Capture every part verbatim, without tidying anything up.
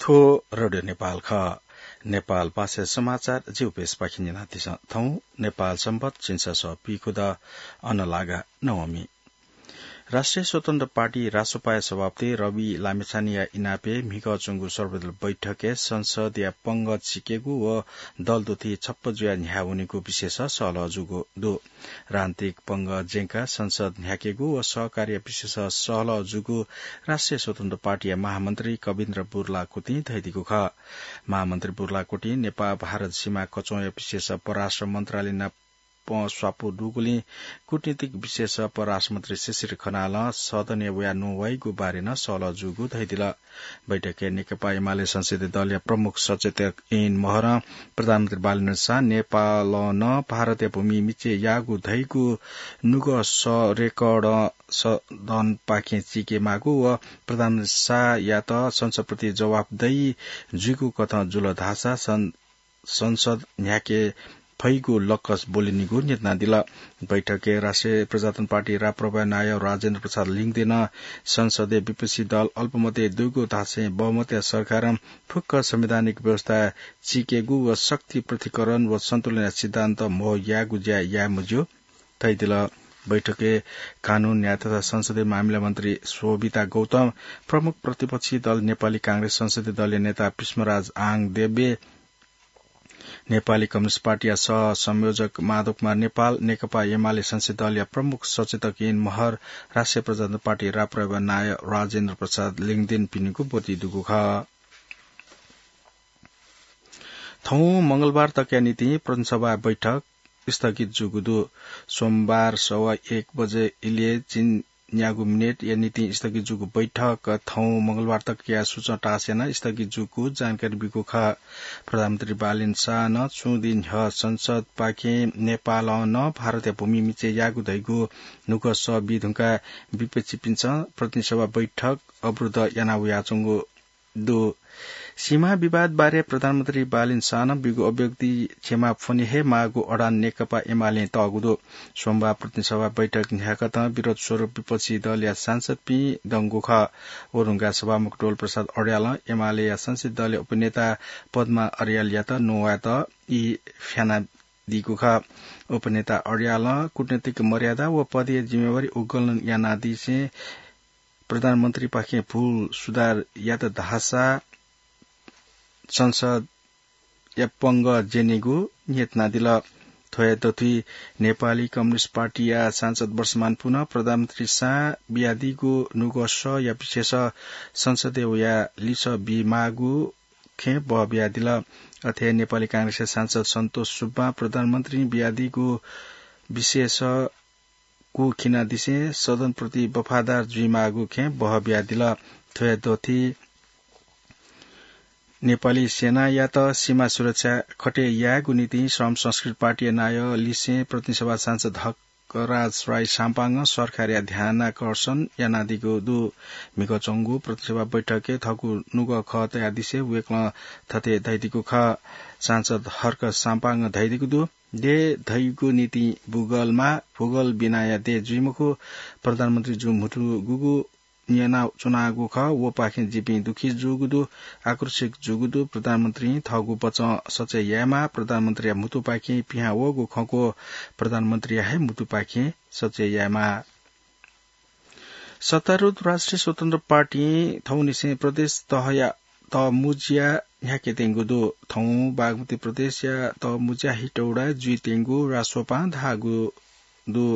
थ्व रेडियो नेपाल खः। नेपाल भाषा समाचार जिगु पेजपाखें न्यनादिसँ। थौं नेपाल संवत् झिंछसः पीखुदँ अनलागा नवमी। राष्ट्रिय स्वतन्त्र पार्टी रासोपाया सभापति रवि लामिछानेया इनापय् म्हिगः च्वंगु सर्वदल बैठकय् संसदया पंगः चिकेगु व दल दुथि छप्पँ जुयाः न्ह्याः वनेगु विषयस सहलह जूगु दु। राजनीतिक पंगः ज्यंकाः संसद न्ह्याकेगु व सहकार्य विषयस सहलह जूगु राष्ट्रिय स्वतन्त्र पार्टीया महामन्त्री कविन्द्र बुर्लाकुतिं धयादीगु खः। महामन्त्री बुर्लाकुतिं नेपाल भारत सीमा कचंया विषयस परराष्ट्र मन्त्रालय नाप स्वापू दुगुलिं कूटनीतिक विषयस परराष्ट्र मन्त्री शिशिर खनालं सदनय् वयाः न्ववाइगु बारे नं सहलह जूगु धयादिल। बैठकय् नेकपा एमाले संसदीय दलया प्रमुख सचेतक ऐन महरं प्रधानमन्त्री बालेन्द्र शाह नेपालं भारतया भूमि मिचे याःगु धइगु नुगः सः रेकर्ड सदनपाखें चिके माःगु व प्रधानमन्त्री शाहयात संसदप्रति जवाफदेही जुइगु कथं जुल धाःसा सं-, संसद न्ह्याके फइगु लक्कस ब्वलिनिगु न्ह्यथनादिल। बैठकय् राष्ट्रिय प्रजातन्त्र पार्टी राप्रपा नायः राजेन्द्र प्रसाद लिङदेनं संसदय् विपक्षी दल अल्पमतय् दुगु धासें बहुमतया सरकारं फुक्क संवैधानिक व्यवस्था चिकेगु व शक्ति पृथक्करण व सन्तुलनया सिद्धान्त म्हो यायेगु ज्या याये मज्यू धयादिल। बैठकय् कानून, न्याय तथा संसदीय मामिला मन्त्री शोभिता गौतम, प्रमुख प्रतिपक्षी दल नेपाली कांग्रेस संसदीय दलया नेता पुष्पराज आङ देब्य, नेपाली कम्युनिस्ट पार्टीया सह संयोजक माधव कुमार नेपाल, नेकपा एमाले संसदीय दलया प्रमुख सचेतक ऐन महर, राष्ट्रिय प्रजातन्त्र पार्टी राप्रपा नायः राजेन्द्र प्रसाद लिङदेन पिनिगु ब्वति दुगु खः। थौं मंगलबार तकया निंतिं प्रतिनिधिसभा बैठक स्थगित जूगु दु। सोमबार सवा एक बजे इलय् चिन्यागू मिनेटया निंतिं स्थगित जूगु बैठक थौं मंगलबार तकया सूचना तास यानाः स्थगित जूगु जानकारी बीगु खः। प्रधानमन्त्री बालेन शाहं छु दिं न्ह्यः संसदपाखें नेपालं नं भारतया भूमि मिचे याःगु धइगु नुगः सः बी धुंकाः विपक्षीपिन्सं प्रतिनिधिसभा बैठक अवरुद्ध याना वयाच्वंगु दु। सीमा विवाद बारे प्रधानमन्त्री बालेन शाहं बीगु अभिव्यक्ति क्षमा फ्वने हे माःगु अडान नेकपा एमालें तःगु दु। सोमबार प्रतिनिधिसभा बैठक न्ह्याकथं विरोध स्वरूप विपक्षी दलया सांसदपिं दंगु खः। व धुंकाः सभामुख डोल प्रसाद अर्यालं एमालेया संसदीय दलया उपनेता पद्मा अर्यालयात न्ववायेत ई फ्यानादीगु खः। उपनेता अर्यालं कूटनीतिक मर्यादा व पदीय जिम्मेवारी उगुलन यानादिसें प्रधानमन्त्रीपाखें भूल सुधार यात धाःसा संसदया पंगः ज्यनेगु न्ह्यथनादिल। थ्वया दथुइ नेपाली कम्युनिस्ट पार्टीया सांसद वर्षमान पुनं प्रधानमन्त्री शाहं बियादीगु नुगः सःया विषयस संसदय् वयाः लिसः बीमाःगु खँय् बह बियादिल। अथे हे नेपाली कांग्रेसया सांसद सन्तोष सुब्बां प्रधानमन्त्रीं बियादीगु विषयस कू खिनादिसें सदनप्रति वफादार जुइमाःगु खँय् बह बियादिल। थ्वया दथुइ नेपाली सेनायात सीमा सुरक्षा खटे यायेगु निंतिं श्रम संस्कृति पार्टीया नायः लिसें प्रतिनिधिसभा सांसद हकराज राई साम्पाङं सरकारया ध्यानाकर्षण यानादीगु दु। म्हिगः च्वंगु प्रतिनिधिसभा बैठकय् थःगु नुगः खः तयादिसें वय्कलं थथे धयादीगु खः। सांसद हर्क साम्पाङं धयादीगु दु, देय् धइगु निंतिं भूगोलमा भूगोल बिनाया देय् जुइ मखु। प्रधानमन्त्री जू म्हुतु गुगु न्यनाच्वनागु खः, वपाखें जिपिं दुःखी जूगु दु, आक्रोशित जूगु दु। प्रधानमन्त्रीं थःगु वचं सचय् यायेमाः। प्रधानमन्त्रीया म्हुतुपाखें पिहां वःगु खँक्व प्रधानमन्त्रीया हे म्हुतुपाखें सचय् यायेमाः। सत्तारूढ राष्ट्रिय स्वतन्त्र पार्टीं थौंनिसें प्रदेश तहया तःमुँज्या न्ह्याकेत्यंगु दु। थौं बागमती प्रदेशया तःमुँज्या हेटौडाय् जुइत्यंगु रासोपां धाःगु दु।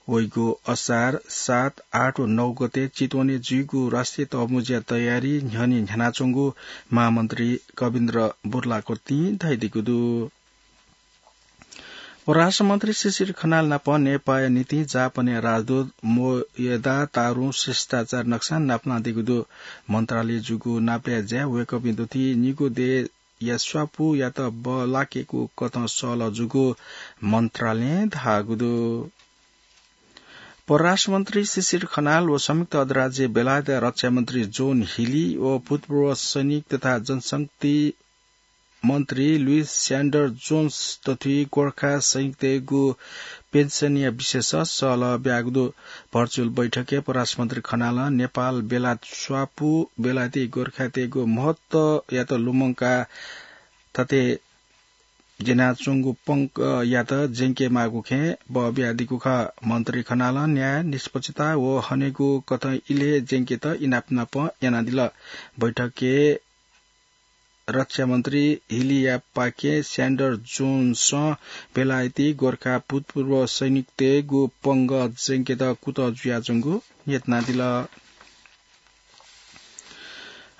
वइगु असार सात, आठ व नौ गते चितवनय् जुइगु राष्ट्रिय तःमुँज्या तयारी न्ह्यःने न्ह्यानाच्वंगु महामन्त्री कविन्द्र बुर्लाकुतिं धयादीगु दु। परराष्ट्र मन्त्री शिशिर खनाल नाप नेपाःया निंतिं जापानया राजदूत मोएदा तारुं शिष्टाचार नक्सा नापलानादीगु दु। मन्त्रालयय् जूगु नापलाये ज्याय् वय्कःपिं दथुइ निगू देय्या स्वापूयात बल्लाकेगु कथं सहलह जूगु मन्त्रालयं धाःगु दु। परराष्ट्र मन्त्री शिशिर खनाल व संयुक्त अरब राज्य बेलायतया रक्षा मन्त्री जोन हिली व भूतपूर्व सैनिक तथा जनशक्ति मन्त्री लुइस स्यान्डर जोन्स तथुइ गोर्खा सैनिकतय्गु पेन्सनया विषयस सल्लाह ब्यागु दु। भर्चुअल बैठकय् परराष्ट्र मन्त्री खनालं नेपाल बेलायत स्वापू बेलायती गोर्खातय्गु महत्वयात लुमंकाः थथे ज्यनाच्वंगु पंगयात ज्यंकेमाःगु खँय् बः बियादीगु खः। मन्त्री खनालं न्याय, निष्पक्षता व हनेगु कथं इलय् ज्यंकेत इनाप नाप यानादिल। बैठकय् रक्षा मन्त्री हिलियापाखे स्यान्डर जोन्सं बेलायती गोर्खा भूतपूर्व सैनिकतय्गु पंगः ज्यंकेत कुतः जुयाच्वंगु न्यनादिल।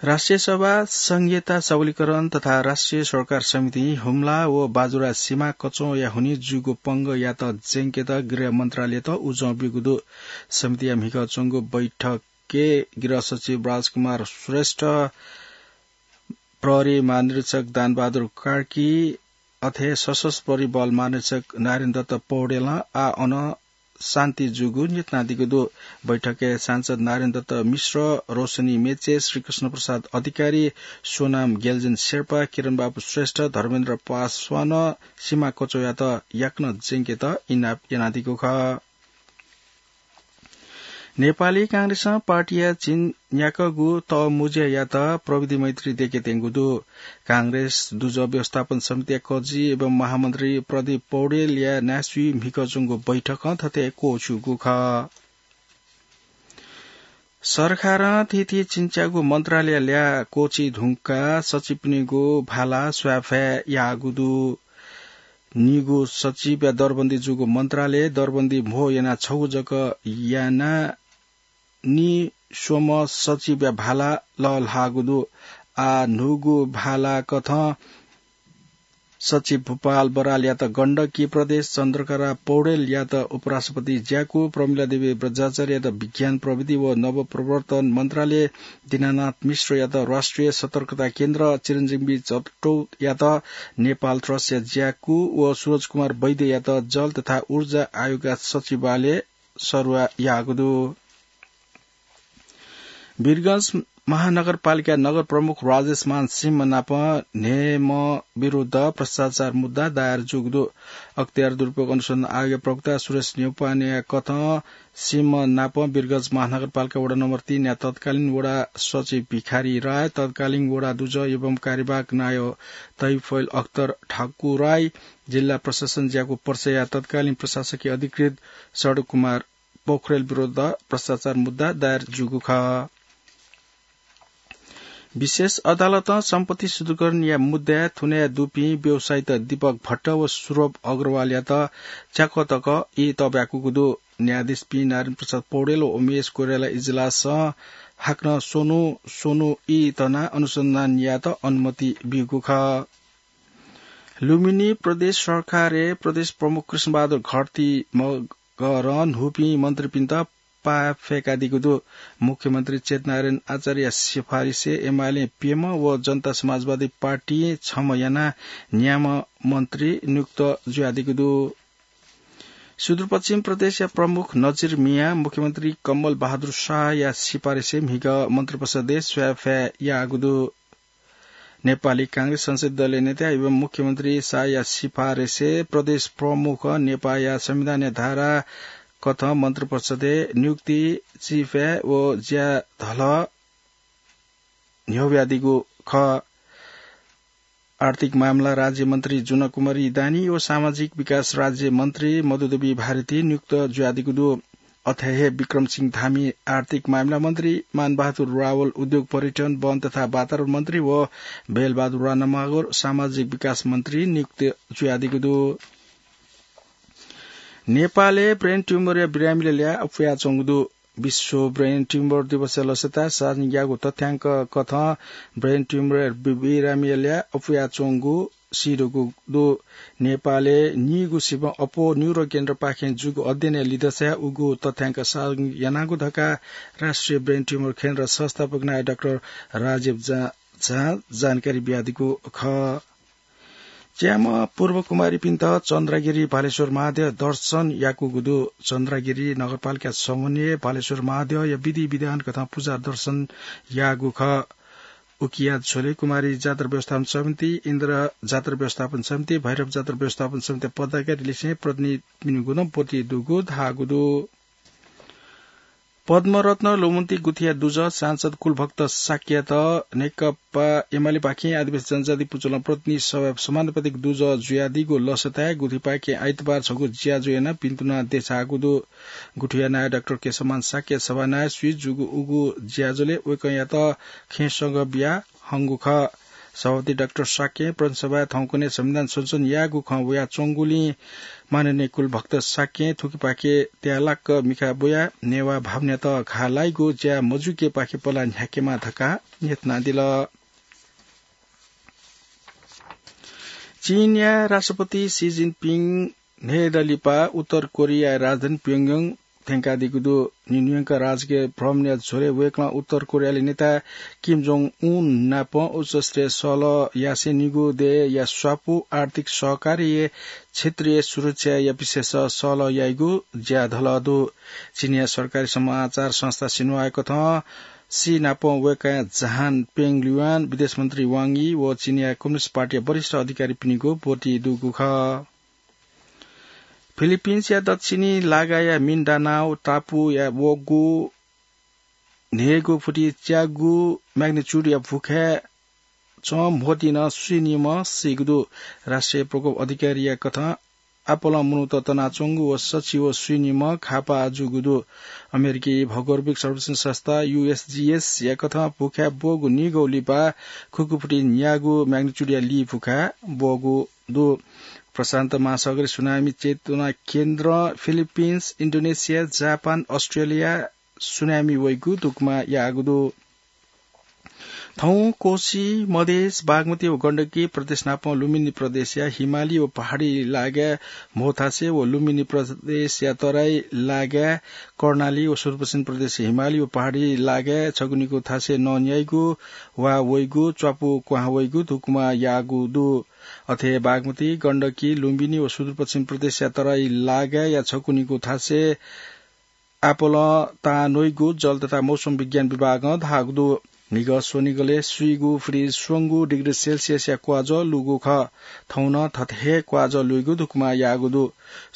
राष्ट्रिय सभा, संघीयता सबलीकरण तथा राष्ट्रिय सरकार समितिं हुम्ला व बाजुरा सीमा कचौया हुनिं जूगु पंगःयात ज्यंकेत गृह मन्त्रालयत उजं ब्यूगु दु। समितिया म्हिगः च्वंगु बैठकय् गृह सचिव राजकुमार श्रेष्ठ, प्रहरी महानिरीक्षक दानबहादुर कार्की, अथे सशस्त्र प्रहरी बल महानिरीक्षक नारायण दत्त पौडेलं आः अन शान्ति जूगु न्यनादीगु दु। बैठकय् सांसद नारायण दत्त मिश्र, रोशनी मेचे, श्रीकृष्ण प्रसाद अधिकारी, सोनाम गेलजेन शेर्पा, किरण बाबु श्रेष्ठ, धर्मेन्द्र पासवानं सीमा कचौयात याकनं ज्यंकेत इनाप यानादीगु खः। नेपाली कांग्रेसं पार्टीया झिंन्याक्वःगु तःमुँज्यायात प्रविधि मैत्री देके त्यंगु दु। कांग्रेस दुजः व्यवस्थापन समितिया कजि एवं महामन्त्री प्रदीप पौडेलया न्यासि म्हिगः च्वंगु बैठकं थथे क्वःछिउगु खः। सरकारं थीथी झिंच्यागु मन्त्रालय ल्याः क्वःछी धुंकाः सचिवपिनिगु भाला स्वायेफाये याःगु दु। नीगू सचिवया दरबन्दी जूगु मन्त्रालय दरबन्दी म्हो यानाः छगू जक यानाः नीस्वम्ह सचिवया भाला लःल्हाःगु दु। आः न्हूगु भाला कथं सचिव भूपाल बरालयात गण्डकी प्रदेश, चन्द्रकला पौडेलयात उपराष्ट्रपति ज्याकू, प्रमिला देवी बज्राचार्ययात विज्ञान प्रविधि व नवप्रवर्तन मन्त्रालय, दीनानाथ मिश्रयात राष्ट्रिय सतर्कता केन्द्र, चिरञ्जीवी जट्टोयात नेपाल ट्रस्टया ज्याकू व सुरज कुमार वैद्ययात जल तथा ऊर्जा आयोगया सचिवालय सरुवा याःगु दु। वीरगंज महानगरपालिका नगर प्रमुख राजेशमान सिंह नाप न्हय्म्ह विरुद्ध भ्रष्टाचार मुद्दा दायर जूगु दु। अख्तियार दुरुपयोग अनुसन्धान आयोगया प्रवक्ता सुरेश न्यौपानेया कथं सिंह नाप वीरगंज महानगरपालिका वडा नम्बर तीन या तत्कालीन वडा सचिव भिखारी राय, तत्कालीन वडा दुजः एवं कार्यवाहक नायः तैफैल अख्तर ठाकुराई, जिल्ला प्रशासन ज्याकू पर्साया तत्कालीन प्रशासकीय अधिकृत सडक कुमार पोखरेल विरुद्ध भ्रष्टाचार मुद्दा दायर जूगु खः। विशेष अदालतं सम्पत्ति शुद्धिकरणया मुद्दाय् थुनाय् दुपिं व्यवसायीत दीपक भट्ट व सुरभ अग्रवालयात च्याकः तक ई तःब्याकूगु दु। न्यायाधीशपिं नारायण प्रसाद पौडेल व उमेश कोइराला इजलासं हाकनं स्वन्हु स्वन्हु ई तनाः अनुसन्धान यायेत अनुमति ब्यूगु खः। लुम्बिनी प्रदेश सरकारय् प्रदेश प्रमुख कृष्णबहादुर घरती मगरं न्हूपिं मन्त्रीपिन्त पाः फय्कादीगु दु। मुख्यमन्त्री चेतनारायण आचार्यया सिफारिसय् एमालें प्यम्ह व जनता समाजवादी पार्टीं छम्ह यानाः न्याम्ह मन्त्री नियुक्त जुयादीगु दु। सुदूरपश्चिम प्रदेशया प्रमुख नजिर मियां मुख्यमन्त्री कमल बहादुर शाहया सिफारिसय् म्हिगः मन्त्रिपरिषदय् स्वायेफाये याःगु दु। नेपाली कांग्रेस संसदीय दलया नेता एवं मुख्यमन्त्री शाहया सिफारिसय् प्रदेश प्रमुखं नेपाःया संविधानया धारा कथं मन्त्रिपरिषदय् नियुक्ति, चिफाय् व ज्याधलः न्ह्यब्वयादीगु खः। आर्थिक मामला राज्यमन्त्री जुनकुमारी दानी व सामाजिक विकास राज्यमन्त्री मधुदेवी भारती नियुक्त जुयादीगु दु। अथे हे विक्रम सिंह धामी आर्थिक मामला मन्त्री, मानबहादुर रावल उद्योग, पर्यटन, वन तथा वातावरण मन्त्री व बेलबहादुर राणामागर सामाजिक विकास मन्त्री नियुक्त जुयादीगु दु। नेपालय् ब्रेन ट्युमरया बिरामीत ल्याः अप्वयाच्वंगु दु। विश्व ब्रेन ट्युमर दिवसया लसताय् सार्वजनिक याःगु तथ्याङ्क कथं ब्रेन ट्युमरया बि-, बिरामीत ल्याः अप्वयाच्वंगु सीदुगु दु। नेपालय् नीगू सिबं अप्वः न्युरोकेन्द्रपाखें जूगु अध्ययनया लिधंसाय् उगु तथ्याङ्क सार्वजनिक यानागु धकाः राष्ट्रिय ब्रेन ट्युमर केन्द्र संस्थापक नायः डाक्टर राजीव झा, झां जानकारी बियादीगु खः। च्याम्ह पूर्व कुमारीपिन्त चन्द्रागिरी भालेश्वर महाद्यः दर्शन याकूगु दु। चन्द्रागिरी नगरपालिका समन्वयं भालेश्वर महाद्यःया विधि विधान कथं पुजा दर्शन याःगु खः। उकिया झ्वले कुमारी जात्रा व्यवस्थापन समिति, इन्द्र जात्रा व्यवस्थापन समिति, भैरव जात्रा व्यवस्थापन समिति पदाधिकारी लिसें प्रतिनिधिपिनिगु नं ब्वति दुगु धाःगु दु। पद्मरत्न लुमन्ती गुथिया दुजः सांसद कुलभक्त शाक्ययात नेकपा एमालेपाखें आदिवासी जनजाति पुचलं प्रतिनिधि सभाय् समानुपातिक दुजः जुयादीगु लसताय् गुथिपाखें आइतबार छगू ज्याझ्वः यानाः भिन्तुना देछाःगु दु। गुथिया नायः डाक्टर केशवमान शाक्य सभानायः स्वीजूगु उगु ज्याझ्वलय् वय्कःयात खेँसंगः बिया हंगु खः। सभापति डाक्टर शाक्यं प्रदेश सभाय् थौंकन्हय् संविधान संशोधन यायेगु खँ वयाच्वंगुलिं माननीय कुलभक्त शाक्यं थुकिपाखे त्यालाक मिखा ब्वयाः नेवाः भावनायात घाः लाइगु ज्या मजुइकेपाखे पलाः न्ह्याकेमा धकाः न्ह्यथनादिल। चीनया राष्ट्रपति सी जिनपिङ न्हय्दँ लिपा उत्तर कोरियाया राजधानी प्योङयाङ थ्यंकादीगु दु। न्यून्यूयंक राजकीय भ्रमणया झ्वलय् वय्कलं उत्तर कोरियाया नेता किम जोङ उन नाप उच्चस्तरीय सहलह यासें निगू देय्‌या स्वापू आर्थिक सहकारीया क्षेत्रीय सुरक्षाया विषयय् सहलह याइगु ज्या धलः दु। चीनया सरकारी समाचार संस्था सिन्हुवाया कथं सी नाप वय्कःया जहान पेङ ल्युवान, विदेश मन्त्री वाङ यी व चीनया कम्युनिस्ट पार्टीया वरिष्ठ अधिकारीपिनिगु ब्वति दुगु खः। फिलिपिन्सया दक्षिणी लागाया मिन्डानाओ टापुया वःगु न्हय्गू फुति च्यागू म्याग्निच्युडया भुखाय् च्वं म्होतिं सुइनिम्ह सीगु दु। राष्ट्रिय प्रकोप अधिकारीया कथं आपालं मनूत तनाच्वंगु व सछि व सुइनिम्ह घाःपाः जूगु दु। अमेरिकी भौगोलिक सर्वेक्षण संस्था यूएसजीएसया कथं भुखाय् ब्वःगु निगू लिपा खुकुफुति न्यागू म्याग्निच्युडया ली भुखाय् ब्वःगु दु। प्रशान्त महासागरीय सुनामी चेतना केन्द्रं फिलिपिन्स, इन्डोनेसिया, जापान, अस्ट्रेलिया सुनामी वइगु धुकुमा याःगु दु। थौं कोशी, मधेस, बागमती व गण्डकी प्रदेश नाप लुम्बिनी प्रदेशया हिमाली व पहाडी लागाय् म्होथासय् व लुम्बिनी प्रदेशया तराई लागाय् कर्णाली व सुदूरपश्चिम प्रदेशया हिमाली व पहाडी लागाय् छगू निगू थासय् नं न्याइगु वा वइगु च्वापु क्वहां वइगु धुकुमा याःगु दु। अथे बागमती, गण्डकी, लुम्बिनी व सुदूरपश्चिम प्रदेशया तराई लागाय्‌या छकू निगू थासय् आपालं तां न्वइगु जल तथा मौसम विज्ञान विभागं धाःगु दु। म्हिगः स्वनिगलय् स्वीगू फुति स्वंगू डिग्री सेल्सियसया क्वाजः लूगु खः। थौं नं थथे हे क्वाजः लूइगु धुकुमा याःगु दु।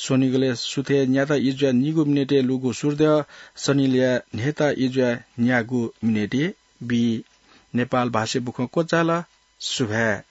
स्वनिगलय् सुथय् न्याता इज्वाय् निगू मिनेटय् लूगु सूर्द्यः शनिलय् न्हय्ता इज्वाय् न्यागू मिनेटय् बी। नेपाल भाषाय् बुखँ क्वचाल। सुभाय्।